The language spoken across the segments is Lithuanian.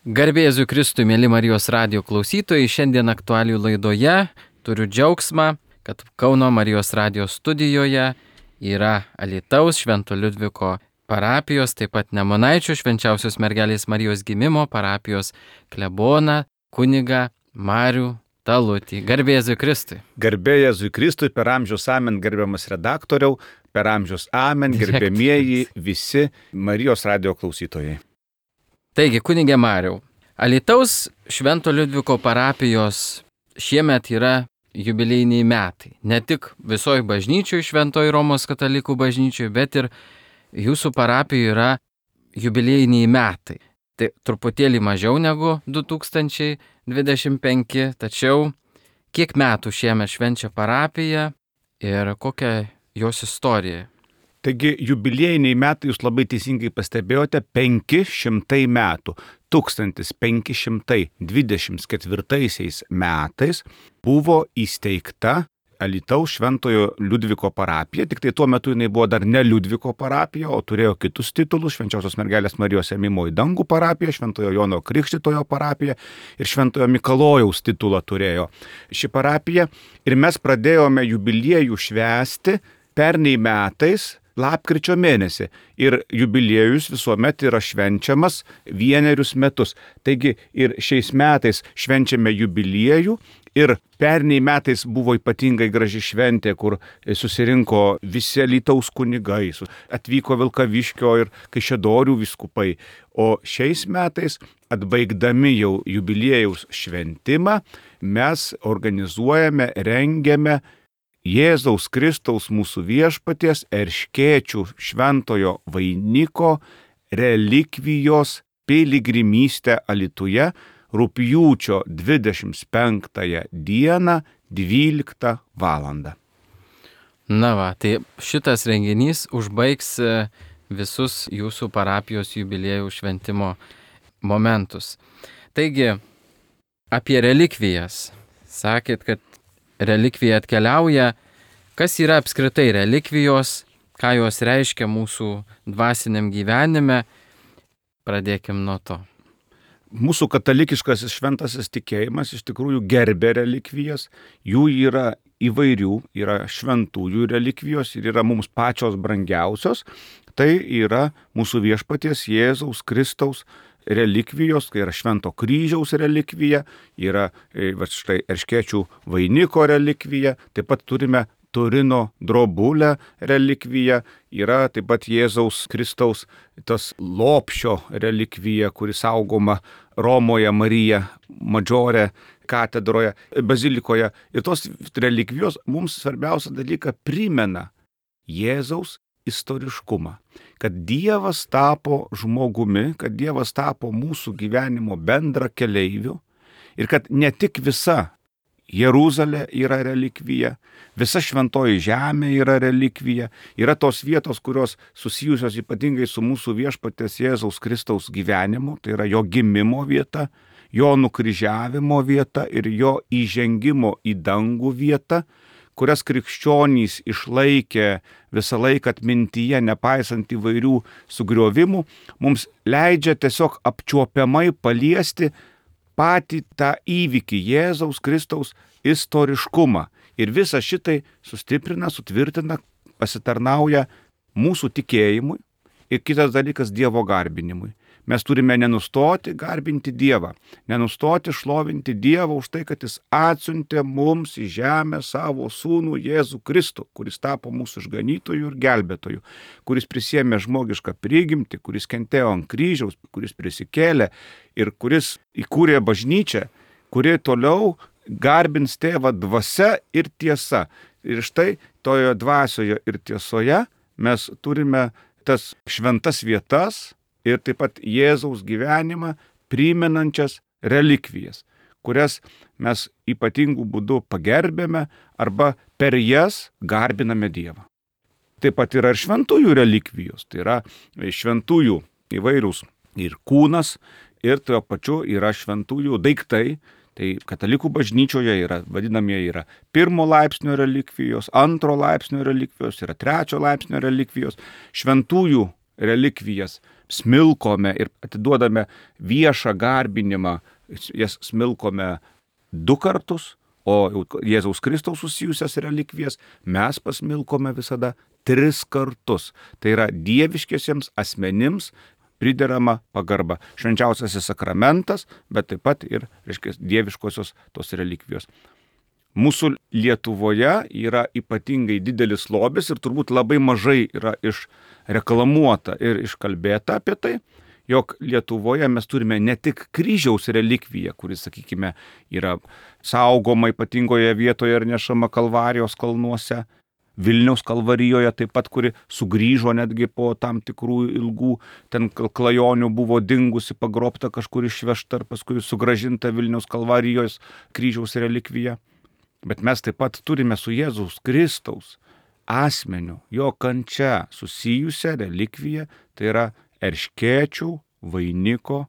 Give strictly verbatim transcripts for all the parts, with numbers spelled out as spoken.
Garbė Jėzui Kristui, mėly Marijos radijo klausytojai, šiandien aktualijų laidoje turiu džiaugsmą, kad Kauno Marijos radijo studijoje yra Alytaus Švento Liudviko parapijos, taip pat Nemunaičių Švenčiausios mergelės Marijos gimimo parapijos kleboną kunigą Marių Talutį. Garbė Jėzui Kristui. Garbė Jėzui Kristui, per amžius amen, gerbiamas redaktoriau, per amžius amen, gerbėmieji visi Marijos radijo klausytojai. Taigi, kunigė Mariau, Alytaus Švento Liudviko parapijos šiemet yra jubiliejiniai metai. Ne tik visoji bažnyčioj, Šventoji Romos katalikų bažnyčioj, bet ir jūsų parapijoje yra jubiliejiniai metai. Tai truputėlį mažiau negu du tūkstančiai dvidešimt penki, tačiau kiek metų šiemet švenčia parapija ir kokia jos istorija? Taigi jubiliejiniai metai, jūs labai teisingai pastebėjote, penki šimtai metų. tūkstantis penki šimtai dvidešimt ketvirtaisiais metais buvo įsteigta Alytaus Šventojo Liudviko parapija, tik tai tuo metu jinai buvo dar ne Liudviko parapija, o turėjo kitus titulus: Švenčiausios mergelės Marijos ėmimo į dangų parapija, Šventojo Jono Krikštytojo parapija ir Šventojo Mikalojaus titulą turėjo ši parapija. Ir mes pradėjome jubiliejų švęsti pernai metais lapkričio mėnesį. Ir jubiliejus visuomet yra švenčiamas vienerius metus. Taigi ir šiais metais švenčiame jubiliejų. Ir pernai metais buvo ypatingai graži šventė, kur susirinko visi Alytaus kunigai, atvyko Vilkaviškio ir Kaišiadorių vyskupai. O šiais metais, atbaigdami jau jubiliejaus šventimą, mes organizuojame, rengiame Jėzaus Kristaus mūsų viešpaties Erškėčių šventojo vainiko relikvijos piligrimystę Alytuje rugpjūčio dvidešimt penktąją dieną dvyliktą valandą. Na va, tai šitas renginys užbaigs visus jūsų parapijos jubiliejų šventimo momentus. Taigi, apie relikvijas. Sakėt, kad relikvija atkeliauja. Kas yra apskritai relikvijos, ką jos reiškia mūsų dvasiniam gyvenime? Pradėkim nuo to. Mūsų katalikiškasis šventasis tikėjimas iš tikrųjų gerbė relikvijas. Jų yra įvairių, yra šventųjų relikvijos ir yra mums pačios brangiausios. Tai yra mūsų viešpaties Jėzaus Kristaus relikvijos, tai yra Švento kryžiaus relikvija, yra va, štai Erškėčių vainiko relikvija, taip pat turime Turino drobulę relikviją, yra taip pat Jėzaus Kristaus tas lopšio relikvija, kuri saugoma Romoje Marija Madžore katedroje, bazilikoje. Ir tos relikvijos mums svarbiausią dalyką primena Jėzaus istoriškumą, kad Dievas tapo žmogumi, kad Dievas tapo mūsų gyvenimo bendra keleiviu ir kad ne tik visa Jeruzalė yra relikvija, visa šventoji žemė yra relikvija, yra tos vietos, kurios susijusios ypatingai su mūsų viešpaties Jėzaus Kristaus gyvenimu, tai yra jo gimimo vieta, jo nukryžiavimo vieta ir jo įžengimo į dangų vieta, kurias krikščionys išlaikė visą laiką atmintyje, nepaisant įvairių sugriovimų, mums leidžia tiesiog apčiuopiamai paliesti patį tą įvykį, Jėzaus Kristaus istoriškumą. Ir visą šitai sustiprina, sutvirtina, pasitarnauja mūsų tikėjimui ir kitas dalykas Dievo garbinimui. Mes turime nenustoti garbinti Dievą, nenustoti šlovinti Dievą už tai, kad Jis atsiuntė mums į žemę savo sūnų Jėzų Kristų, kuris tapo mūsų išganytoju ir gelbėtoju, kuris prisiėmė žmogišką prigimtį, kuris kentėjo ant kryžiaus, kuris prisikėlė ir kuris įkūrė bažnyčią, kuri toliau garbins Tėvą dvasia ir tiesa. Ir štai toje dvasioje ir tiesoje mes turime tas šventas vietas ir taip pat Jėzaus gyvenimą primenančias relikvijas, kurias mes ypatingų būdų pagerbėme arba per jas garbiname Dievą. Taip pat yra ir šventųjų relikvijos, tai yra šventųjų įvairūs ir kūnas, ir tuo pačiu yra šventųjų daiktai. Tai katalikų bažnyčioje yra, vadinamieji yra pirmo laipsnio relikvijos, antro laipsnio relikvijos, yra trečio laipsnio relikvijos. Šventųjų relikvijas smilkome ir atiduodame viešą garbinimą, jas smilkome du kartus, o Jėzaus Kristaus susijusias relikvijas mes pasmilkome visada tris kartus. Tai yra dieviškiesiems asmenims priderama pagarba. Švenčiausiasis sakramentas, bet taip pat ir, reiškia, dieviškosios tos relikvijos. Mūsų Lietuvoje yra ypatingai didelis lobis ir turbūt labai mažai yra išreklamuota ir iškalbėta apie tai, jog Lietuvoje mes turime ne tik kryžiaus relikviją, kuris, sakykime, yra saugoma ypatingoje vietoje ir nešama Kalvarijos kalnuose, Vilniaus Kalvarijoje taip pat, kuri sugrįžo netgi po tam tikrų ilgų ten klajonių, buvo dingusi, pagrobta, kažkur išvežta ir paskui sugrąžinta Vilniaus Kalvarijos kryžiaus relikvija. Bet mes taip pat turime su Jėzaus Kristaus asmeniu, jo kančia susijusią relikviją, tai yra erškėčių vainiko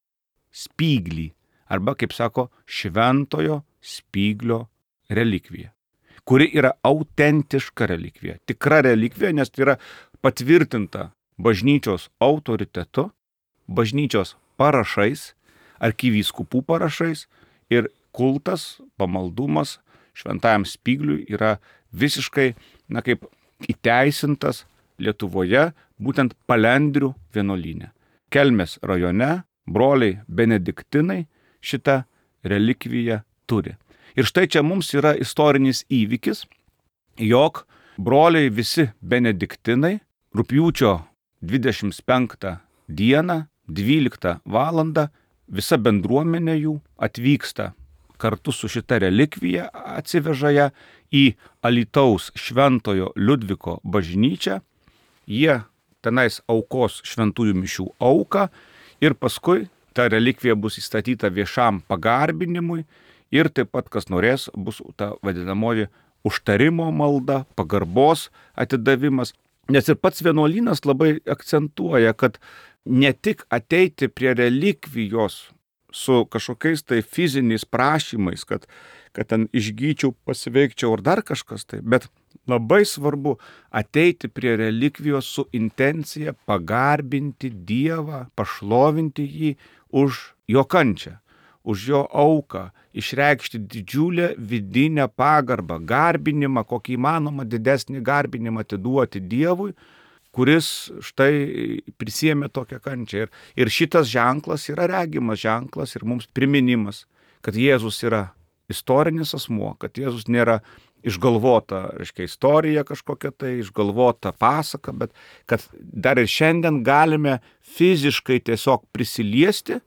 spyglį, arba, kaip sako, šventojo spyglio relikvija, kuri yra autentiška relikvija, tikra relikvija, nes tai yra patvirtinta bažnyčios autoritetu, bažnyčios parašais, arkivyskupų parašais ir kultas, pamaldumas šventajam spygliui yra visiškai, na, kaip įteisintas Lietuvoje, būtent Palendrių vienuolyne. Kelmės rajone broliai benediktinai šitą relikviją turi. Ir štai čia mums yra istorinis įvykis, jog broliai visi benediktinai rugpjūčio dvidešimt penktą dieną, dvyliktą valandą, visa bendruomenė jų atvyksta kartu su šita relikvija, atsiveža ją į Alytaus Šventojo Liudviko bažnyčią. Jie tenais aukos šventųjų mišių auką ir paskui ta relikvija bus įstatyta viešam pagarbinimui ir taip pat, kas norės, bus ta vadinamoji užtarimo malda, pagarbos atidavimas. Nes ir pats vienuolynas labai akcentuoja, kad ne tik ateiti prie relikvijos su kažkokiais tai fiziniais prašymais, kad, kad ten išgyčiau, pasiveikčiau ar dar kažkas tai, bet labai svarbu ateiti prie relikvijos su intencija pagarbinti Dievą, pašlovinti jį už jo kančią, už jo auką, išreikšti didžiulę vidinę pagarbą, garbinimą, kokį įmanoma didesnį garbinimą atiduoti Dievui, kuris štai prisiėmė tokią kančią. Ir, ir šitas ženklas yra regimas ženklas ir mums priminimas, kad Jėzus yra istorinis asmuo, kad Jėzus nėra išgalvota, reiškia, istorija kažkokia tai, išgalvota pasaka, bet kad dar ir šiandien galime fiziškai tiesiog prisiliesti,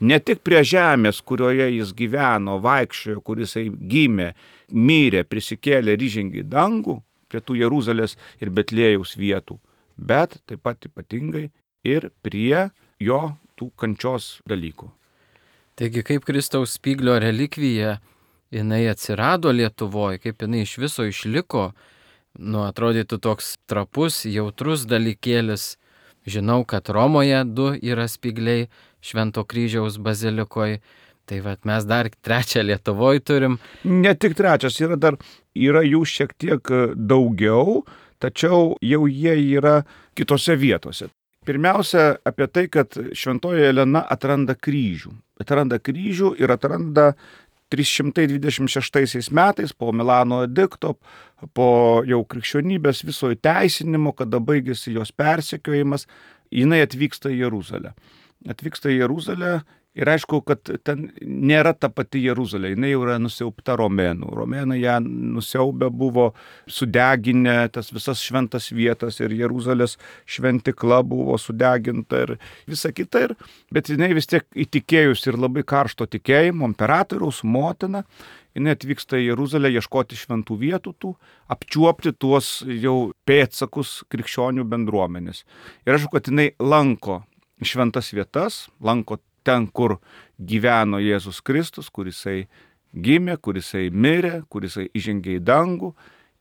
ne tik prie žemės, kurioje jis gyveno, vaikščiojo, kuris gimė, mirė, prisikėlė ir įžengė į dangų, prie tų Jeruzalės ir Betlėjaus vietų, bet taip pat ypatingai ir prie jo tų kančios dalykų. Taigi kaip Kristaus spyglio relikvija jinai atsirado Lietuvoje, kaip jinai iš viso išliko, nu, atrodytų toks trapus, jautrus dalykėlis. Žinau, kad Romoje du yra spygliai Švento kryžiaus bazilikoje, tai vat mes dar trečią Lietuvoje turim. Ne tik trečias, yra dar, yra jų šiek tiek daugiau, tačiau jau jie yra kitose vietose. Pirmiausia, apie tai, kad Šventoji Elena atranda kryžių. Atranda kryžių ir atranda trys šimtai dvidešimt šeštaisiais metais po Milano edikto, po jau krikščionybės viso įteisinimo, kada baigėsi jos persekiojimas, jinai atvyksta į Jeruzalę. Atvyksta į Jeruzalę ir aišku, kad ten nėra ta pati Jeruzalė, jinai jau yra nusiaubta romėnų. Romėnai ją nusiaubę buvo, sudeginę tas visas šventas vietas ir Jeruzalės šventikla buvo sudeginta ir visa kita. Ir, bet jinai vis tiek įtikėjus ir labai karšto tikėjimo, imperatoriaus motina, jinai atvyksta į Jeruzalę ieškoti šventų vietų, tų, apčiuopti tuos jau pėdsakus krikščionių bendruomenės. Ir aišku, kad jinai lanko šventas vietas, lanko ten, kur gyveno Jėzus Kristus, kur jisai gimė, kur jisai mirė, kur jisai įžengė į dangų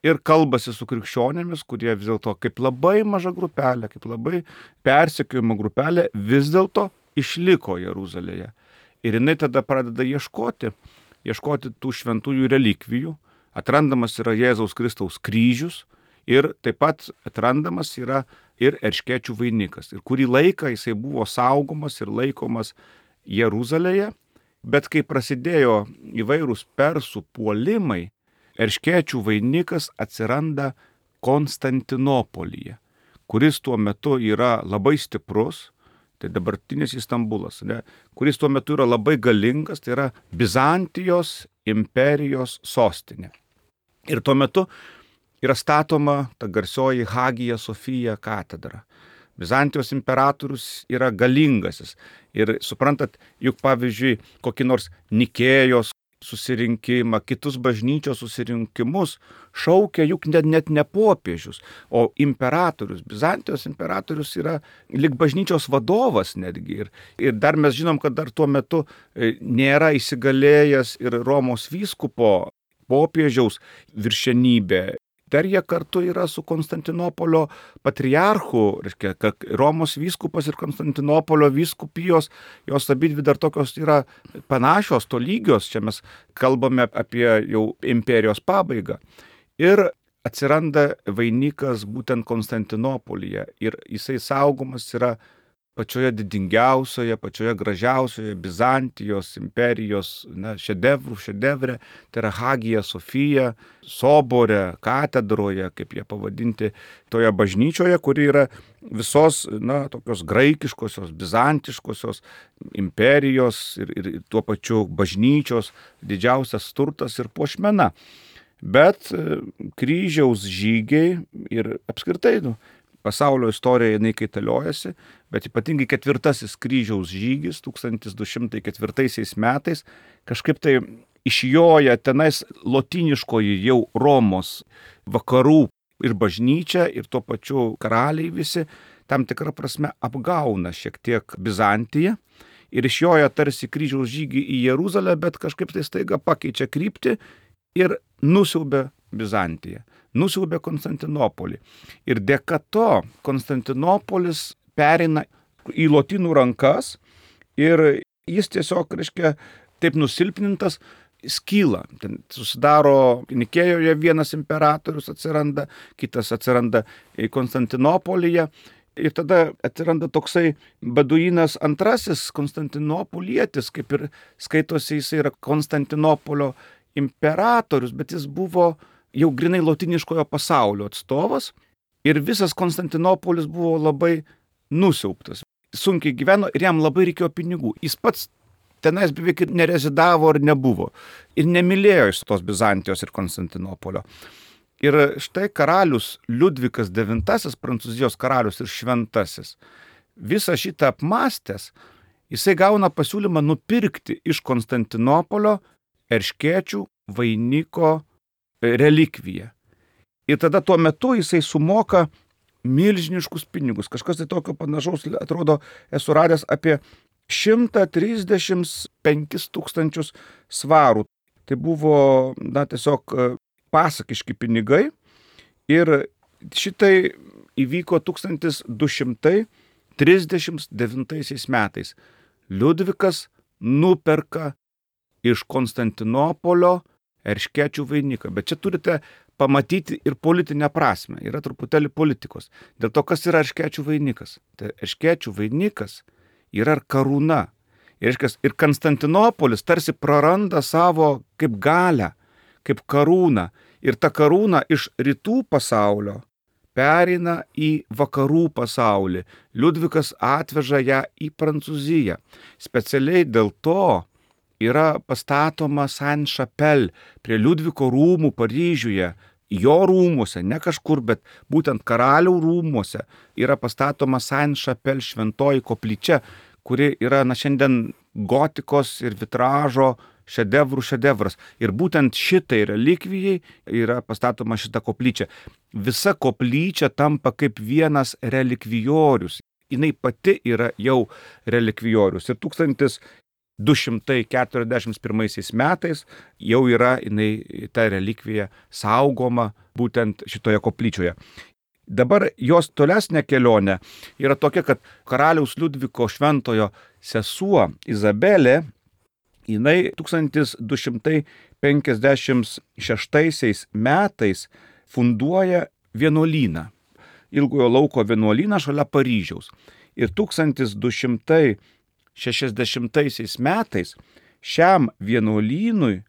ir kalbasi su krikščionėmis, kurie vis dėlto kaip labai maža grupelė, kaip labai persekiojama grupelė vis dėlto išliko Jeruzalėje. Ir jinai tada pradeda ieškoti, ieškoti tų šventųjų relikvijų. Atrandamas yra Jėzaus Kristaus kryžius ir taip pat atrandamas yra ir erškėčių vainikas. Ir kurį laiką jisai buvo saugomas ir laikomas Jeruzalėje, bet kai prasidėjo įvairūs persų puolimai, erškėčių vainikas atsiranda Konstantinopolyje, kuris tuo metu yra labai stiprus, tai dabartinis Istambulas, ne, kuris tuo metu yra labai galingas, tai yra Bizantijos imperijos sostinė. Ir tuo metu yra statoma ta garsioji Hagija Sofija katedra. Bizantijos imperatorius yra galingasis. Ir suprantat, juk pavyzdžiui, kokį nors Nikėjos susirinkimą, kitus bažnyčios susirinkimus šaukia juk net, net ne popiežius, o imperatorius. Bizantijos imperatorius yra lyg bažnyčios vadovas netgi. Ir, ir dar mes žinom, kad dar tuo metu nėra įsigalėjęs ir Romos vyskupo popiežiaus viršenybė. Dar jie kartu yra su Konstantinopolio patriarchu, reiškia, kad Romos vyskupas ir Konstantinopolio vyskupijos, jos abidvi dar tokios yra panašios, tolygios, čia mes kalbame apie jau imperijos pabaigą. Ir atsiranda vainikas būtent Konstantinopolyje ir jisai saugomas yra pačioje didingiausioje, pačioje gražiausioje Bizantijos imperijos na, šedevrų šedevre, tai yra Hagija Sofija, sobore, katedroje, kaip jie pavadinti, toje bažnyčioje, kuri yra visos na, tokios graikiškosios, bizantiškosios imperijos ir, ir tuo pačiu bažnyčios didžiausias turtas ir puošmena. Bet kryžiaus žygiai ir apskritai, nu, pasaulio istorija jinai kaitaliojasi, bet ypatingai ketvirtasis kryžiaus žygis tūkstantis du šimtai ketvirtaisiais metais kažkaip tai išjoja tenais lotyniškoji jau Romos vakarų ir bažnyčia ir tuo pačiu karaliai visi tam tikrą prasme apgauna šiek tiek Bizantiją ir išjoja tarsi kryžiaus žygį į Jeruzalę, bet kažkaip tai staiga pakeičia kryptį ir nusiaubia Bizantiją. Nusiaubė Konstantinopolį. Ir dėka to Konstantinopolis pereina į lotynų rankas ir jis tiesiog, reiškia, taip nusilpnintas, skyla. Ten susidaro Nikėjoje vienas imperatorius atsiranda, kitas atsiranda Konstantinopolyje. Ir tada atsiranda toksai Baduinas antrasis Konstantinopolietis, kaip ir skaitosi, jis yra Konstantinopolio imperatorius, bet jis buvo jau grinai lotyniškojo pasaulio atstovas ir visas Konstantinopolis buvo labai nusiaubtas. Sunkiai gyveno ir jam labai reikėjo pinigų. Jis pats tenais beveik ir nerezidavo ar nebuvo. Ir nemylėjo iš tos Bizantijos ir Konstantinopolio. Ir štai karalius Liudvikas devintasis, Prancūzijos karalius ir šventasis, visą šitą apmastęs, jisai gauna pasiūlymą nupirkti iš Konstantinopolio erškėčių vainiko relikviją. Ir tada tuo metu jisai sumoka milžiniškus pinigus. Kažkas tai tokio panašaus, atrodo, esu radęs apie šimtą trisdešimt penkis tūkstančius svarų. Tai buvo, na, tiesiog pasakiški pinigai. Ir šitai įvyko tūkstantis du šimtai trisdešimt devintaisiais metais. Liudvikas nuperka iš Konstantinopolio erškėčių vainiką. Bet čia turite pamatyti ir politinę prasme. Yra truputėlį politikos. Dėl to, kas yra erškėčių vainikas. Tai erškėčių vainikas yra karūna. Ir, ir Konstantinopolis tarsi praranda savo kaip galę, kaip karūną. Ir ta karūna iš rytų pasaulio pereina į vakarų pasaulį. Liudvikas atveža ją į Prancūziją. Specialiai dėl to yra pastatoma Saint-Chapelle prie Liudviko rūmų Paryžiuje, jo rūmuose, ne kažkur, bet būtent karalių rūmuose yra pastatoma Saint-Chapelle šventoji koplyčia, kuri yra na, šiandien gotikos ir vitražo šedevrų šedevras. Ir būtent šitai relikvijai yra pastatoma šita koplyčia. Visa koplyčia tampa kaip vienas relikvijorius. Jinai pati yra jau relikvijorius. Ir tūkstantis du šimtai keturiasdešimt pirmaisiais metais jau yra jinai, ta relikvija saugoma būtent šitoje koplyčioje. Dabar jos tolesnė kelionė yra tokia, kad karaliaus Liudviko šventojo sesuo Izabelė, jinai tūkstantis du šimtai penkiasdešimt šeštaisiais metais funduoja vienuolyną. Ilgojo lauko vienuolyną šalia Paryžiaus. Ir tūkstantis du šimtai šešiasdešimtaisiais metais šiam vienuolynui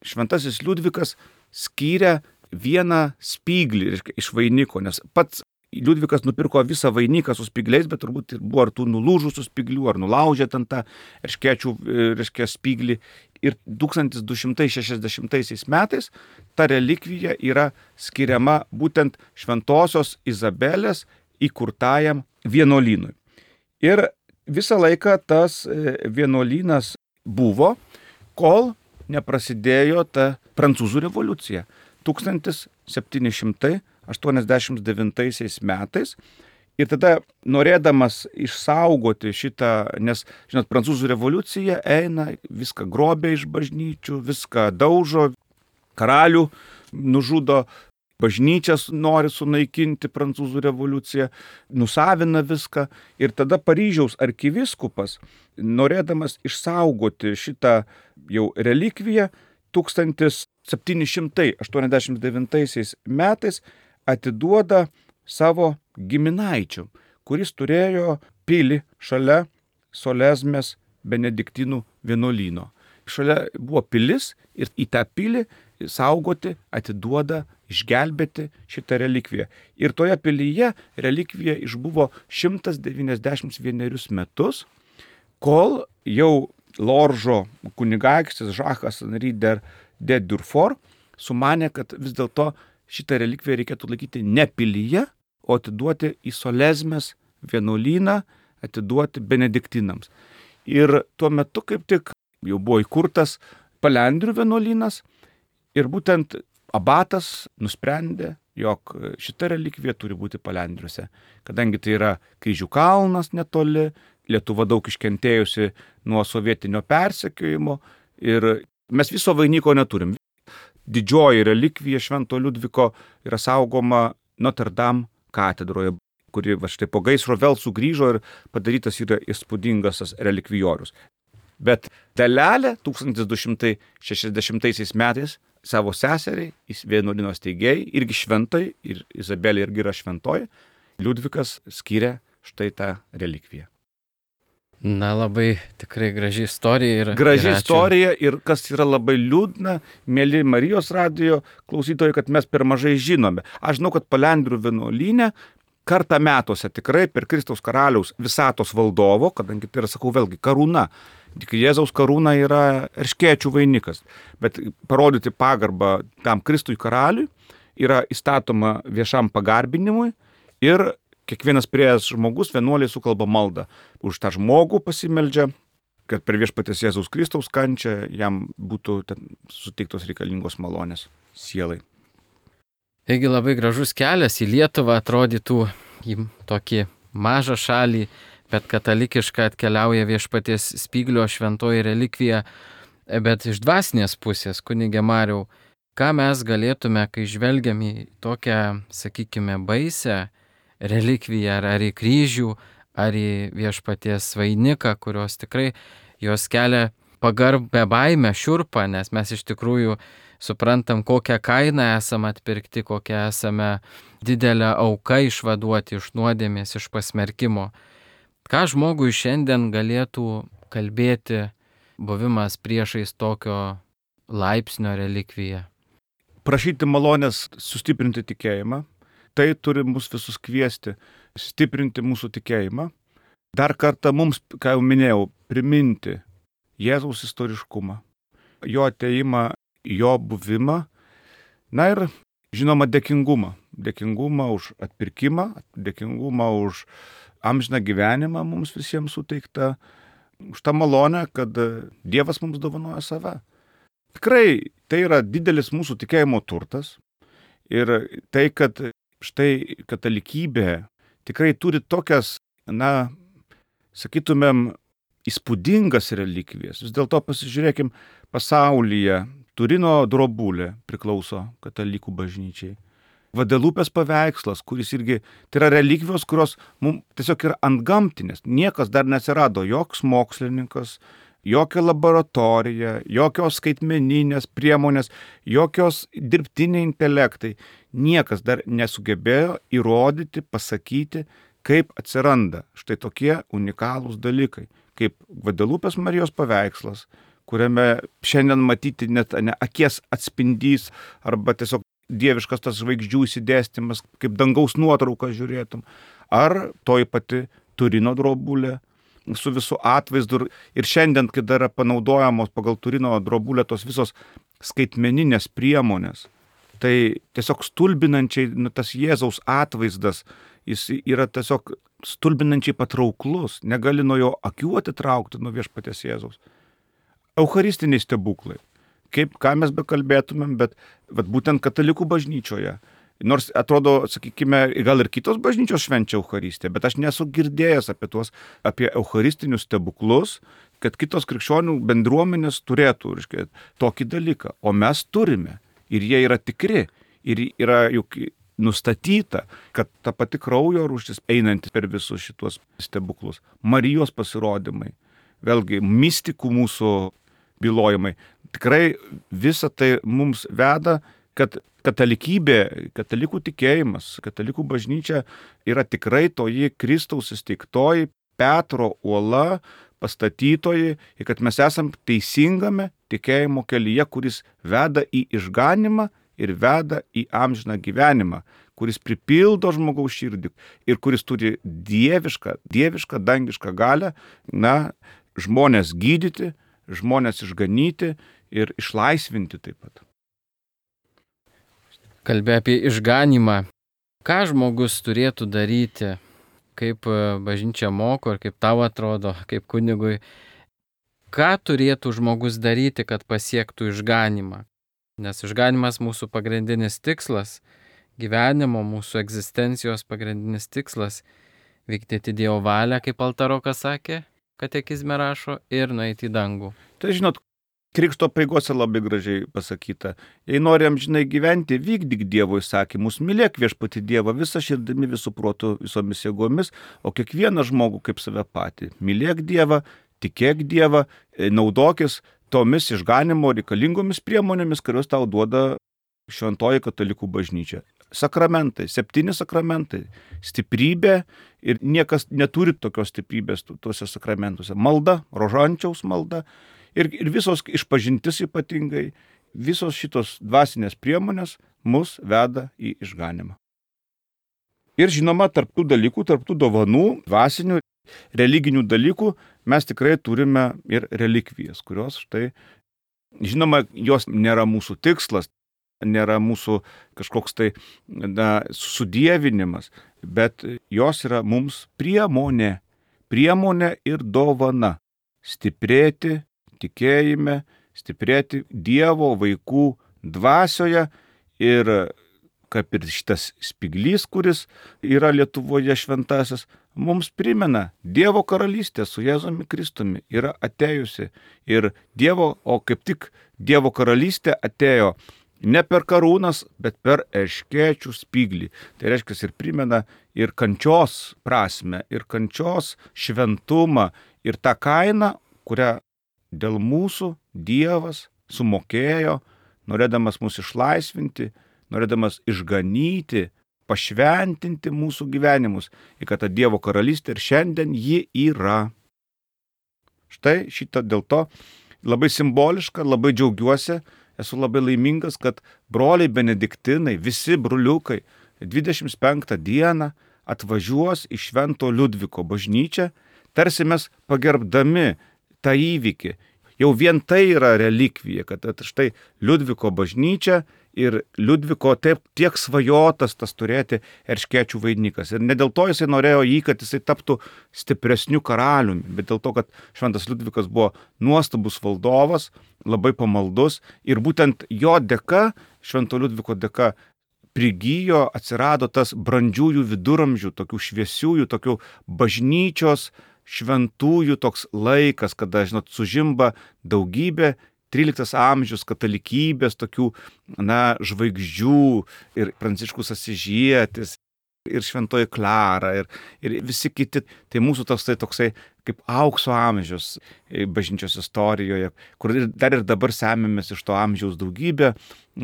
šventasis Liudvikas skyrė vieną spyglį iš vainiko, nes pats Liudvikas nupirko visą vainiką su spygliais, bet turbūt buvo ar tų nulūžusių spyglių, ar nulaužė ten tą erškėčių, reiškia, spyglį. Ir tūkstantis du šimtai šešiasdešimtaisiais metais ta relikvija yra skiriama būtent šventosios Izabelės įkurtajam vienuolynui. Ir visą laiką tas vienuolynas buvo, kol neprasidėjo ta Prancūzų revoliucija. tūkstantis septyni šimtai aštuoniasdešimt devintaisiais metais. Ir tada, norėdamas išsaugoti šitą, nes, žinot, Prancūzų revoliucija eina, viską grobia iš bažnyčių, viską daužo, karalių nužudo, bažnyčias nori sunaikinti Prancūzų revoliucija, nusavina viską. Ir tada Paryžiaus arkivyskupas, norėdamas išsaugoti šitą jau relikviją, tūkstantis septyni šimtai aštuoniasdešimt devintaisiais metais atiduoda savo giminaičių, kuris turėjo pilį šalia Solesmės benediktinų vienuolyno. Šalia buvo pilis ir į tą pilį saugoti, atiduoda, išgelbėti šitą relikviją. Ir toje pilyje relikvija išbuvo šimtas devyniasdešimt vienerius metus, kol jau Loržo kunigaikštis Žakas Henri de Durfort sumanė, kad vis dėlto šitą relikviją reikėtų laikyti ne pilyje, o atiduoti į Solesmės vienuolyną, atiduoti benediktinams. Ir tuo metu kaip tik jau buvo įkurtas Palendrių vienuolynas ir būtent abatas nusprendė, jog šita relikvija turi būti Palendriuose, kadangi tai yra Kryžių kalnas netoli, Lietuva daug iškentėjusi nuo sovietinio persekiojimo ir mes viso vainiko neturim. Didžioji relikvija Švento Liudviko yra saugoma Notre Dame katedroje, kuri va štai po gaisro vėl sugrįžo ir padarytas yra įspūdingas tas relikvijorius. Bet dalelė tūkstantis du šimtai šešiasdešimtaisiais metais savo seseriai, vienuolyno steigėjai, irgi šventai, ir Izabelė irgi yra šventoji, Liudvikas skyrė štai tą relikviją. Na, labai tikrai graži istorija. Ir, graži ir istorija ir kas yra labai liūdna, mėly Marijos radijo klausytojai, kad mes per mažai žinome. Aš žinau, kad Palendrių vienuolyne kartą metuose tikrai per Kristaus karaliaus visatos valdovo, kadangi tai yra, sakau, vėlgi karūna. Tik Jėzaus karūna yra erškėčių vainikas. Bet parodyti pagarbą tam Kristui karaliui yra įstatoma viešam pagarbinimui ir kiekvienas prieėjęs žmogus vienuoliai sukalba maldą. Už tą žmogų pasimeldžia, kad per viešpaties Jėzaus Kristaus kančią jam būtų suteiktos reikalingos malonės sielai. Taigi labai gražus kelias į Lietuvą, atrodytų į tokį mažą šalį, bet katalikišką atkeliauja viešpaties Spyglio šventoji relikvija. Bet iš dvasinės pusės, kunige Mariau, ką mes galėtume, kai žvelgiam į tokią, sakykime, baisę relikviją, ar, ar į kryžių, ar į viešpaties vainiką, kurios tikrai jos kelia pagarbę baimę, šiurpą, nes mes iš tikrųjų suprantam, kokią kainą esame atpirkti, kokią esame didelę auką išvaduoti iš nuodėmės, iš pasmerkimo. Ką žmogui šiandien galėtų kalbėti buvimas priešais tokio laipsnio relikviją? Prašyti malonės sustiprinti tikėjimą. Tai turi mus visus kviesti, stiprinti mūsų tikėjimą. Dar kartą mums, ką jau minėjau, priminti Jėzaus istoriškumą, jo ateimą, jo buvimą, na ir žinoma dėkingumą. Dėkingumą už atpirkimą, dėkingumą už amžiną gyvenimą mums visiems suteiktą, už tą malonę, kad Dievas mums dovanoja save. Tikrai tai yra didelis mūsų tikėjimo turtas ir tai, kad štai katalikybė tikrai turi tokias, na, sakytumėm, įspūdingas relikvijas. Vis dėlto pasižiūrėkim, pasaulyje Turino drobulė priklauso katalikų bažnyčiai. Vadelupės paveikslas, kuris irgi, tai yra relikvijos, kurios mums tiesiog yra antgamtinės. Niekas dar neatsirado, joks mokslininkas, jokia laboratorija, jokios skaitmeninės priemonės, jokios dirbtiniai intelektai. Niekas dar nesugebėjo įrodyti, pasakyti, kaip atsiranda štai tokie unikalūs dalykai, kaip Gvadelupės Marijos paveikslas, kuriame šiandien matyti net ne akies atspindys arba tiesiog dieviškas tas žvaigždžių įsidėstymas, kaip dangaus nuotrauką žiūrėtum, ar toji pati Turino drobulė su visų atvaizdu. Ir šiandien, kai dar yra panaudojamos pagal Turino drobulę tos visos skaitmeninės priemonės, tai tiesiog stulbinančiai nu, tas Jėzaus atvaizdas, jis yra tiesiog stulbinančiai patrauklus, negali nuo jo akių atitraukti nuo viešpaties Jėzaus. Eucharistiniai stebuklai. Kaip, ką mes bekalbėtumėm, bet, bet būtent katalikų bažnyčioje. Nors atrodo, sakykime, gal ir kitos bažnyčios švenčia Eucharistiją, bet aš nesu girdėjęs apie tuos, apie eucharistinius stebuklus, kad kitos krikščionių bendruomenės turėtų, reiškia, tokį dalyką. O mes turime. Ir jie yra tikri. Ir yra juk nustatyta, kad ta pati kraujo rūšis einanti per visus šitos stebuklus. Marijos pasirodymai. Vėlgi, mistikų mūsų bylojimai. Tikrai visa tai mums veda, kad katalikybė, katalikų tikėjimas, katalikų bažnyčia yra tikrai toji Kristaus įsteigtoji Petro uola, pastatytoji, ir kad mes esam teisingame tikėjimo kelyje, kuris veda į išganimą ir veda į amžiną gyvenimą, kuris pripildo žmogaus širdį ir kuris turi dievišką, dievišką dangišką galią, na, žmonės gydyti, žmonės išganyti ir išlaisvinti taip pat. Kalbė apie išganimą. Ką žmogus turėtų daryti, kaip bažnyčia moko ir kaip tau atrodo, kaip kunigui, ką turėtų žmogus daryti, kad pasiektų išganimą? Nes išganimas mūsų pagrindinis tikslas, gyvenimo, mūsų egzistencijos pagrindinis tikslas - vykdyti Dievo valią, kaip Altarokas sakė, katekizme rašo, ir nueiti į dangų. Tai žinot, Krikšto apeigose labai gražiai pasakyta. Jei nori amžinai gyventi, vykdyk Dievo įsakymus, mylėk viešpatį Dievą visą širdimi, visų protų, visomis jėgomis, o kiekvieną žmogų kaip save patį. Mylėk Dievą, tikėk Dievą, naudokis tomis išganimo reikalingomis priemonėmis, kurios tau duoda šventoji katalikų bažnyčia. Sakramentai, septyni sakramentai, stiprybė, ir niekas neturi tokios stiprybės tuose sakramentuose. Malda, rožančiaus malda. Ir, ir visos išpažintis ypatingai, visos šitos dvasinės priemonės mus veda į išganimą. Ir žinoma, tarp tų dalykų, tarp tų dovanų, dvasinių, religinių dalykų, mes tikrai turime ir relikvijas, kurios štai, žinoma, jos nėra mūsų tikslas, nėra mūsų kažkoks tai na, sudievinimas, bet jos yra mums priemonė, priemonė ir dovana stiprėti tikėjime, stiprėti Dievo vaikų dvasioje ir kaip ir šitas spiglys, kuris yra Lietuvoje šventasis, mums primena, Dievo karalystė su Jėzumi Kristumi yra atėjusi ir Dievo, o kaip tik Dievo karalystė atėjo ne per karūnas, bet per erškėčių spiglį. Tai reiškia ir primena ir kančios prasme, ir kančios šventumą, ir tą kainą, kurią dėl mūsų Dievas sumokėjo, norėdamas mus išlaisvinti, norėdamas išganyti, pašventinti mūsų gyvenimus, ir kad ta Dievo karalystė ir šiandien ji yra. Štai šitą dėl to labai simboliška, labai džiaugiuosi, esu labai laimingas, kad broliai benediktinai, visi broliukai, dvidešimt penktą dieną atvažiuos į Švento Liudviko bažnyčią, tarsi mes pagerbdami tą įvykį. Jau vien tai yra relikvija, kad štai Liudviko bažnyčia ir Liudviko taip tiek svajotas tas turėti erškėčių vainikas. Ir ne dėl to jisai norėjo jį, kad jisai taptų stipresniu karaliumi, bet dėl to, kad Šventas Liudvikas buvo nuostabus valdovas, labai pamaldus ir būtent jo dėka, Švento Liudviko dėka, prigijo, atsirado tas brandžiųjų viduramžių, tokių šviesiųjų, tokių bažnyčios šventųjų toks laikas, kada, žinot, sužimba daugybė tryliktas amžius katalikybės tokių, na, žvaigždžių ir Pranciškus Asyžietis, ir Šventoji Klara, ir, ir visi kiti. Tai mūsų toksai toksai kaip aukso amžius bažnyčios istorijoje, kur ir dar ir dabar semėmės iš to amžiaus daugybę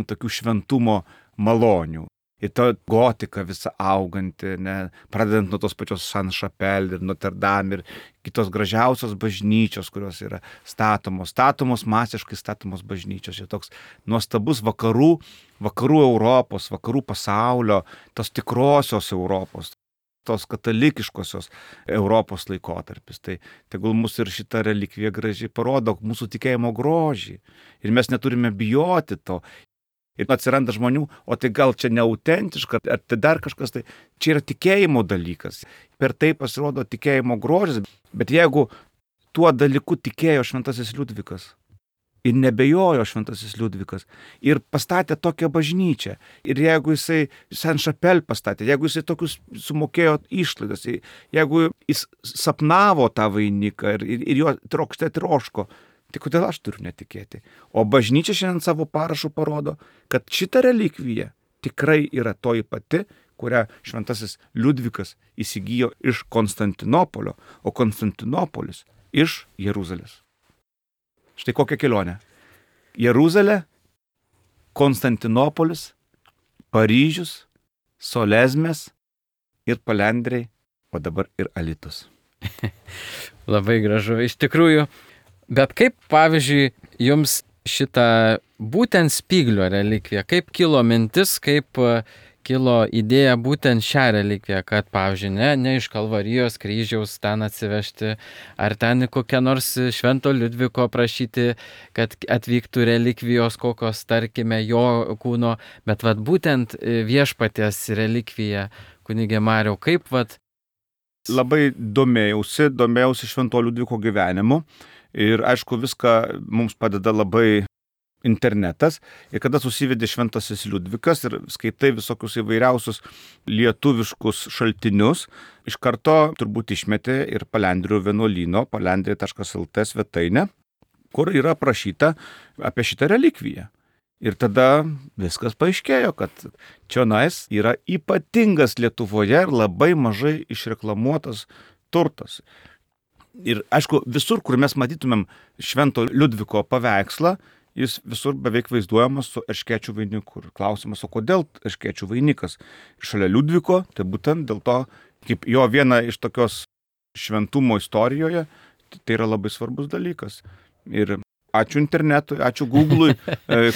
tokių šventumo malonių. Ir ta gotika visa auganti, ne, pradedant nuo tos pačios Saint-Chapelle ir Notre Dame ir kitos gražiausios bažnyčios, kurios yra statomos, statomos masiškai statomos bažnyčios. Ir toks nuostabus vakarų, vakarų Europos, vakarų pasaulio, tos tikrosios Europos, tos katalikiškosios Europos laikotarpis. Tai tegul mūsų ir šita relikvija gražiai parodo mūsų tikėjimo grožį. Ir mes neturime bijoti to. Ir atsiranda žmonių, o tai gal čia neautentiška, ar tai dar kažkas, tai čia yra tikėjimo dalykas. Per tai pasirodo tikėjimo grožis. Bet jeigu tuo dalyku tikėjo šventasis Liudvikas ir nebejojo šventasis Liudvikas ir pastatė tokią bažnyčią, ir jeigu jisai Saint-Chapelle pastatė, jeigu jisai tokius sumokėjo išlaidas, jeigu jis sapnavo tą vainiką ir, ir, ir jo trokšte troško, tai kodėl aš turiu netikėti? O bažnyčia šiandien savo parašu parodo, kad šita relikvija tikrai yra toji pati, kurią šventasis Liudvikas įsigijo iš Konstantinopolio, o Konstantinopolis iš Jeruzalės. Štai kokia kelionė. Jeruzalė, Konstantinopolis, Paryžius, Solezmės ir Palendriai, o dabar ir Alytus. Labai gražu, iš tikrųjų. Bet kaip, pavyzdžiui, jums šitą būtent Spyglio relikviją, kaip kilo mintis, kaip kilo idėja būtent šią relikviją, kad, pavyzdžiui, ne, ne iš Kalvarijos kryžiaus ten atsivežti, ar ten kokią nors Švento Liudviko prašyti, kad atvyktų relikvijos kokios, tarkime, jo kūno, bet vat būtent viešpaties relikvija, kunigė Mariau, kaip vat... Labai domėjausi, domėjausi Švento Liudviko gyvenimu. Ir aišku, viską mums padeda labai internetas. Ir kada susivedė šventasis Liudvikas ir skaitai visokius įvairiausius lietuviškus šaltinius, iš karto turbūt išmetė ir Palendrių vienuolyno, palendriai taškas el tė svetainę, kur yra aprašyta apie šitą relikviją. Ir tada viskas paaiškėjo, kad čionais yra ypatingas Lietuvoje ir labai mažai išreklamuotas turtas. Ir aišku, visur, kur mes matytumėm Švento Liudviko paveikslą, jis visur beveik vaizduojamas su erškėčių vainiku. Ir klausimas, o kodėl erškėčių vainikas? Šalia Liudviko, tai būtent dėl to, kaip jo viena iš tokios šventumo istorijoje, tai yra labai svarbus dalykas. Ir ačiū internetui, ačiū Google'ui,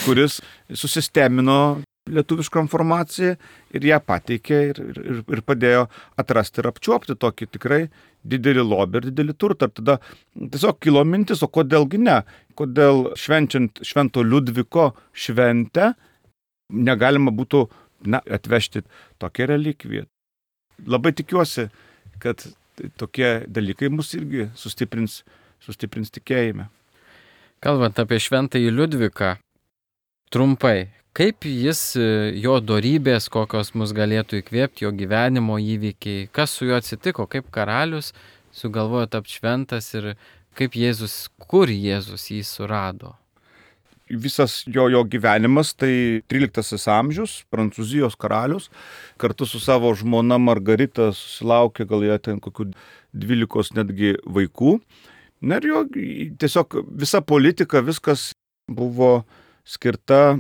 kuris susistemino lietuvišką informaciją ir ją pateikė ir, ir, ir padėjo atrasti ir apčiuopti tokį tikrai didelį lobį ir didelį turtą. Ir tada tiesiog kilo mintis, o kodėlgi ne? Kodėl švenčiant Švento Liudviko šventę negalima būtų na, atvežti tokią relikviją. Labai tikiuosi, kad tokie dalykai mus irgi sustiprins, sustiprins tikėjime. Kalbant apie Šventąjį Liudviką, trumpai, kaip jis, jo dorybės, kokios mus galėtų įkvėpti, jo gyvenimo įvykiai, kas su juo atsitiko, kaip karalius sugalvojo tapti šventas ir kaip Jėzus, kur Jėzus jį surado? Visas jo, jo gyvenimas tai tryliktasis amžius, Prancūzijos karalius, kartu su savo žmona Margarita susilaukė gal jie ten kokių dvylikos netgi vaikų. Na ir jo tiesiog visa politika, viskas buvo skirta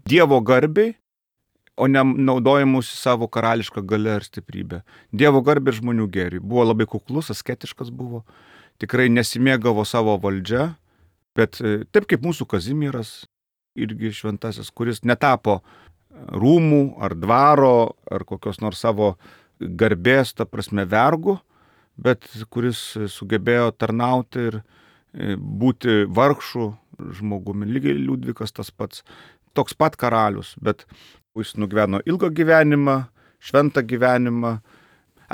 Dievo garbei, o ne naudojimusi savo karališką galią ir stiprybę. Dievo garbė ir žmonių gėriui. Buvo labai kuklus, asketiškas buvo, tikrai nesimėgavo savo valdžia, bet taip kaip mūsų Kazimieras, irgi šventasis, kuris netapo rūmų ar dvaro ar kokios nors savo garbės, ta prasme, vergu, bet kuris sugebėjo tarnauti ir būti vargšų žmogumi. Lygiai Liudvikas tas pats. Toks pat karalius, bet jis nugyveno ilgą gyvenimą, šventą gyvenimą.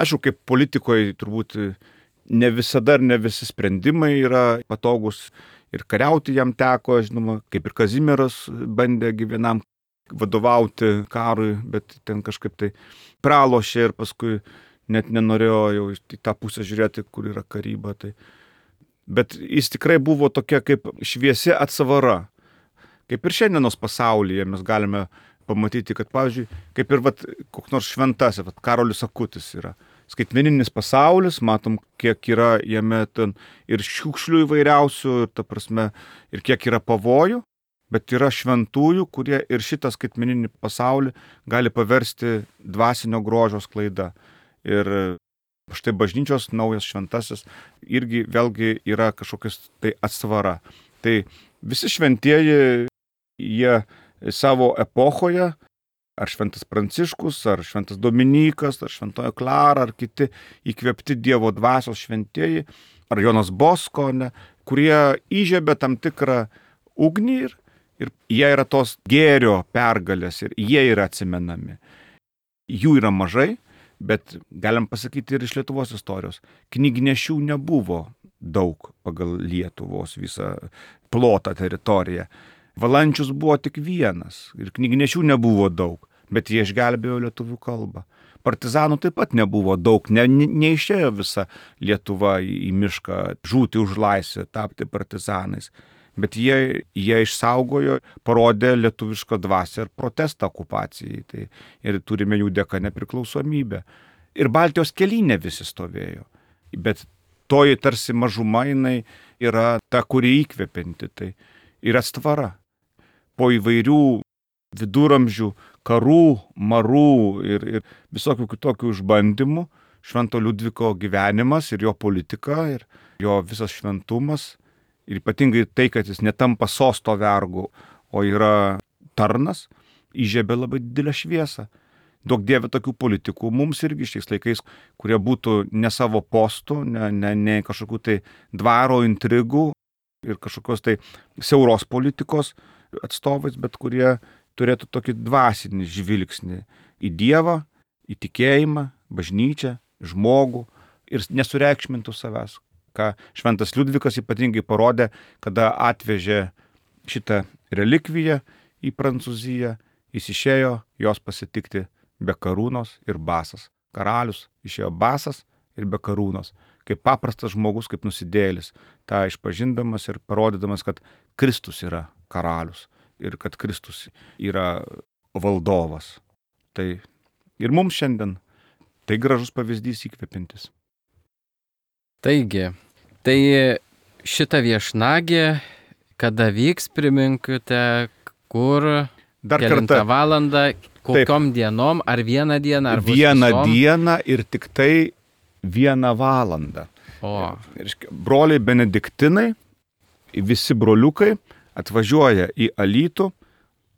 Aišku, kaip politikoje turbūt ne visada ir ne visi sprendimai yra patogus ir kariauti jam teko, žinoma, kaip ir Kazimieras bandė vienam vadovauti karui, bet ten kažkaip tai pralošė ir paskui net nenorėjo jau į tą pusę žiūrėti, kur yra karyba. Tai. Bet jis tikrai buvo tokia kaip šviesi atsvara. Kaip ir šiandienos pasaulyje mes galime pamatyti, kad, pavyzdžiui, kaip ir vat, koks nors šventasis, vat, Karolis Akutis yra. Skaitmeninis pasaulis, matom, kiek yra jame ten ir šiukšlių įvairiausių, ir, ta prasme, ir kiek yra pavojų, bet yra šventųjų, kurie ir šitą skaitmeninį pasaulį gali paversti dvasinio grožio sklaida. Ir štai bažnyčios naujas šventasis irgi vėlgi yra kažkokias tai atsvara. Tai visi šventieji, jie savo epochoje, ar šventas Pranciškus, ar šventas Dominikas, ar šventoji Klara, ar kiti įkvėpti Dievo dvasios šventieji, ar Jonas Bosko, ne, kurie įžiebė tam tikrą ugnį ir, ir jie yra tos gėrio pergalės ir jie yra atsimenami. Jų yra mažai, bet galim pasakyti ir iš Lietuvos istorijos. Knygnešių nebuvo daug pagal Lietuvos visą plotą teritoriją. Valančius buvo tik vienas ir knygnešių nebuvo daug, bet jie išgelbėjo lietuvių kalbą. Partizanų taip pat nebuvo daug, ne, ne, neišėjo visa Lietuva į, į mišką žūti už laisvę, tapti partizanais. Bet jie, jie išsaugojo, parodė lietuvišką dvasią ir protestą okupacijai. Tai, ir turime jų dėka nepriklausomybę. Ir Baltijos kelyne visi stovėjo. Bet toji tarsi mažuma jinai yra ta, kuri įkvepianti. Tai ir atstvara. Po įvairių viduramžių karų, marų ir, ir visokių kitokių išbandymų Švento Liudviko gyvenimas ir jo politika ir jo visas šventumas ir ypatingai tai, kad jis netampa sosto vergu, o yra tarnas, įžiebė labai didelę šviesą. Daug dievė tokių politikų mums irgi šiais laikais, kurie būtų ne savo postų, ne, ne, ne kažkokių tai dvaro intrigų ir kažkokios tai siauros politikos atstovais, bet kurie turėtų tokį dvasinį žvilgsnį į Dievą, į tikėjimą, bažnyčią, žmogų ir nesureikšmintų savęs. Ką šventas Liudvikas ypatingai parodė, kada atvežė šitą relikviją į Prancūziją, jis išėjo jos pasitikti be karūnos ir basas. Karalius išėjo basas ir be karūnos, kaip paprastas žmogus, kaip nusidėjėlis, tą išpažindamas ir parodydamas, kad Kristus yra karalius ir kad Kristus yra valdovas. Tai ir mums šiandien tai gražus pavyzdys įkvepintis. Taigi, tai šita viešnagė, kada vyks, priminkite, kur, Dar kelintą kartą. valandą, kokiom Taip. dienom, ar vieną dieną, ar bus Vieną visom? dieną ir tik tai vieną valandą. O, Reiškia, broliai benediktinai, visi broliukai atvažiuoja į Alytų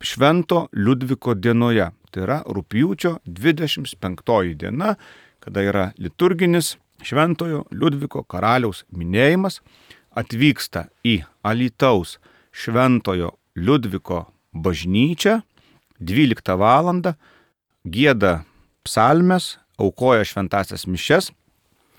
Švento Liudviko dienoje. Tai yra rugpjūčio dvidešimt penktoji diena, kada yra liturginis Šventojo Liudviko karaliaus minėjimas, atvyksta į Alytaus Šventojo Liudviko bažnyčią dvyliktą valandą, gieda psalmes, aukoja šventasias mišes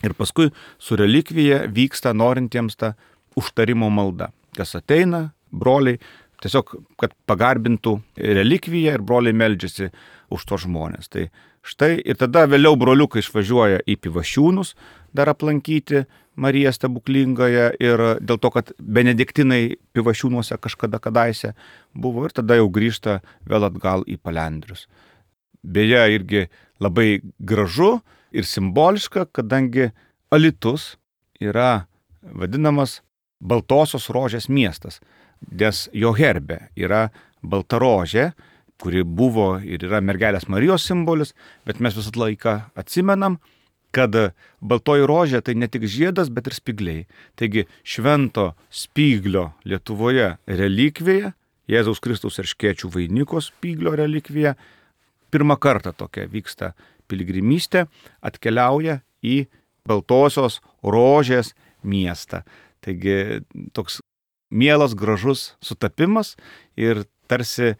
ir paskui su relikvija vyksta norintiems ta užtarimo malda. Kas ateina, broliai, tiesiog, kad pagarbintų relikviją ir broliai meldžiasi už tos žmonės. Tai štai ir tada vėliau broliukai išvažiuoja į Pivašiūnus dar aplankyti Mariją stebuklingąją ir dėl to, kad benediktinai Pivašiūnuose kažkada kadaise buvo ir tada jau grįžta vėl atgal į Palendrius. Beje, irgi labai gražu ir simboliška, kadangi Alytus yra vadinamas Baltosios rožės miestas, nes jo herbe yra balta rožė, kuri buvo ir yra mergelės Marijos simbolis, bet mes visą laiką atsimenam, kad baltoji rožė tai ne tik žiedas, bet ir spygliai. Taigi švento spyglio Lietuvoje relikvija, Jėzaus Kristaus erškėčių vainiko spyglio relikvija, pirmą kartą tokia vyksta piligrimystė, atkeliauja į Baltosios rožės miestą. Taigi toks mielas, gražus sutapimas ir tarsi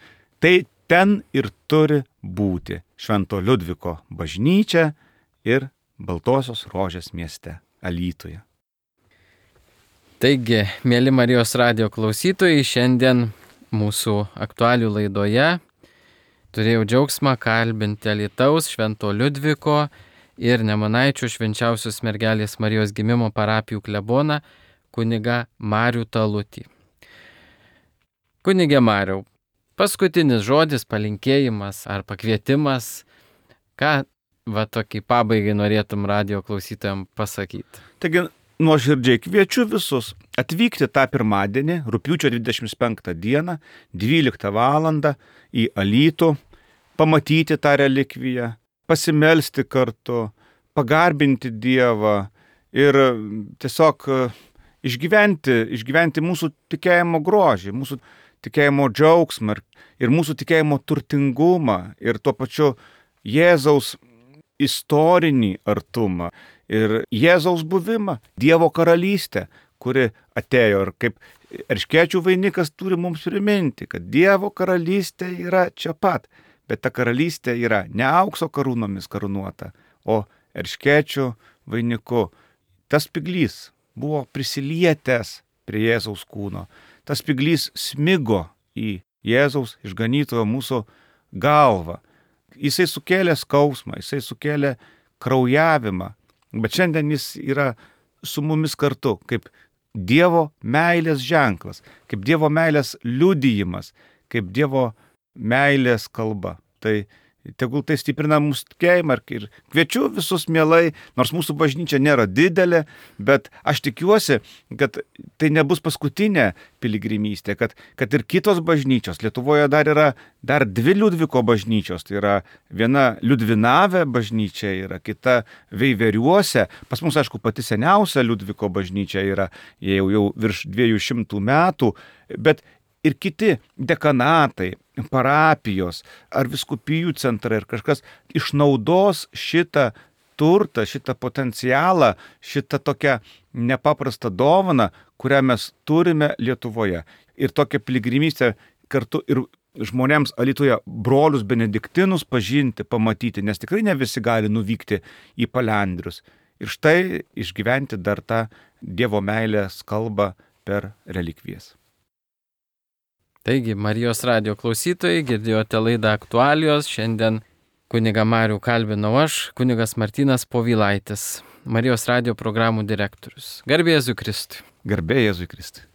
tai ten ir turi būti Švento Liudviko bažnyčia ir Baltosios rožės mieste Alytuje. taigi, mėly Marijos radijo klausytojai, šiandien mūsų aktualių laidoje turėjau džiaugsmą kalbinti Alytaus Švento Liudviko ir Nemunaičių švenčiausios mergelės Marijos gimimo parapijų kleboną kunigą Marių Talutį. Kunigė Mariau, paskutinis žodis, palinkėjimas ar pakvietimas, ką va tokį pabaigai norėtum radio klausytojams pasakyti. Taigi nuoširdžiai kviečiu visus atvykti tą pirmadienį, rugpjūčio dvidešimt penktą dieną, dvyliktą valandą į Alytų, pamatyti tą relikviją, pasimelsti kartu, pagarbinti Dievą ir tiesiog išgyventi, išgyventi mūsų tikėjimo grožį, mūsų tikėjimo džiaugsmą ir mūsų tikėjimo turtingumą ir tuo pačiu Jėzaus istorinį artumą ir Jėzaus buvimą, Dievo karalystę, kuri atėjo ir kaip erškėčių vainikas turi mums priminti, kad Dievo karalystė yra čia pat, bet ta karalystė yra ne aukso karūnomis karūnuota, o erškėčių vainiku. Tas spiglys buvo prisilietęs prie Jėzaus kūno, tas spiglys smigo į Jėzaus išganytojo mūsų galvą. Jisai sukėlė skausmą, jisai sukėlė kraujavimą, bet šiandien jis yra su mumis kartu, kaip Dievo meilės ženklas, kaip Dievo meilės liudijimas, kaip Dievo meilės kalba. Tai tegul tai stiprina mūsų tikėjimą ir kviečiu visus mielai, nors mūsų bažnyčia nėra didelė, bet aš tikiuosi, kad tai nebus paskutinė piligrimystė, kad, kad ir kitos bažnyčios, Lietuvoje dar yra dar dvi Liudviko bažnyčios, tai yra viena Liudvinave bažnyčia, yra kita Veiveriuose, pas mus aišku pati seniausia Liudviko bažnyčia yra jau, jau virš dviejų šimtų metų, bet ir kiti dekanatai, parapijos ar vyskupijų centrai ir kažkas išnaudos šitą turtą, šitą potencialą, šitą tokią nepaprastą dovaną, kurią mes turime Lietuvoje. Ir tokią piligrimystę kartu ir žmonėms Alytuje brolius benediktinus pažinti, pamatyti, nes tikrai ne visi gali nuvykti į Palendrius. Ir štai išgyventi dar tą Dievo meilės kalbą per relikvijas. Taigi, Marijos radijo klausytojai, girdėjote laidą Aktualijos. Šiandien kunigą Marių kalbinau aš, kunigas Martynas Povilaitis, Marijos radijo programų direktorius. Garbė Jėzui Kristui. Garbė Jėzui Kristui.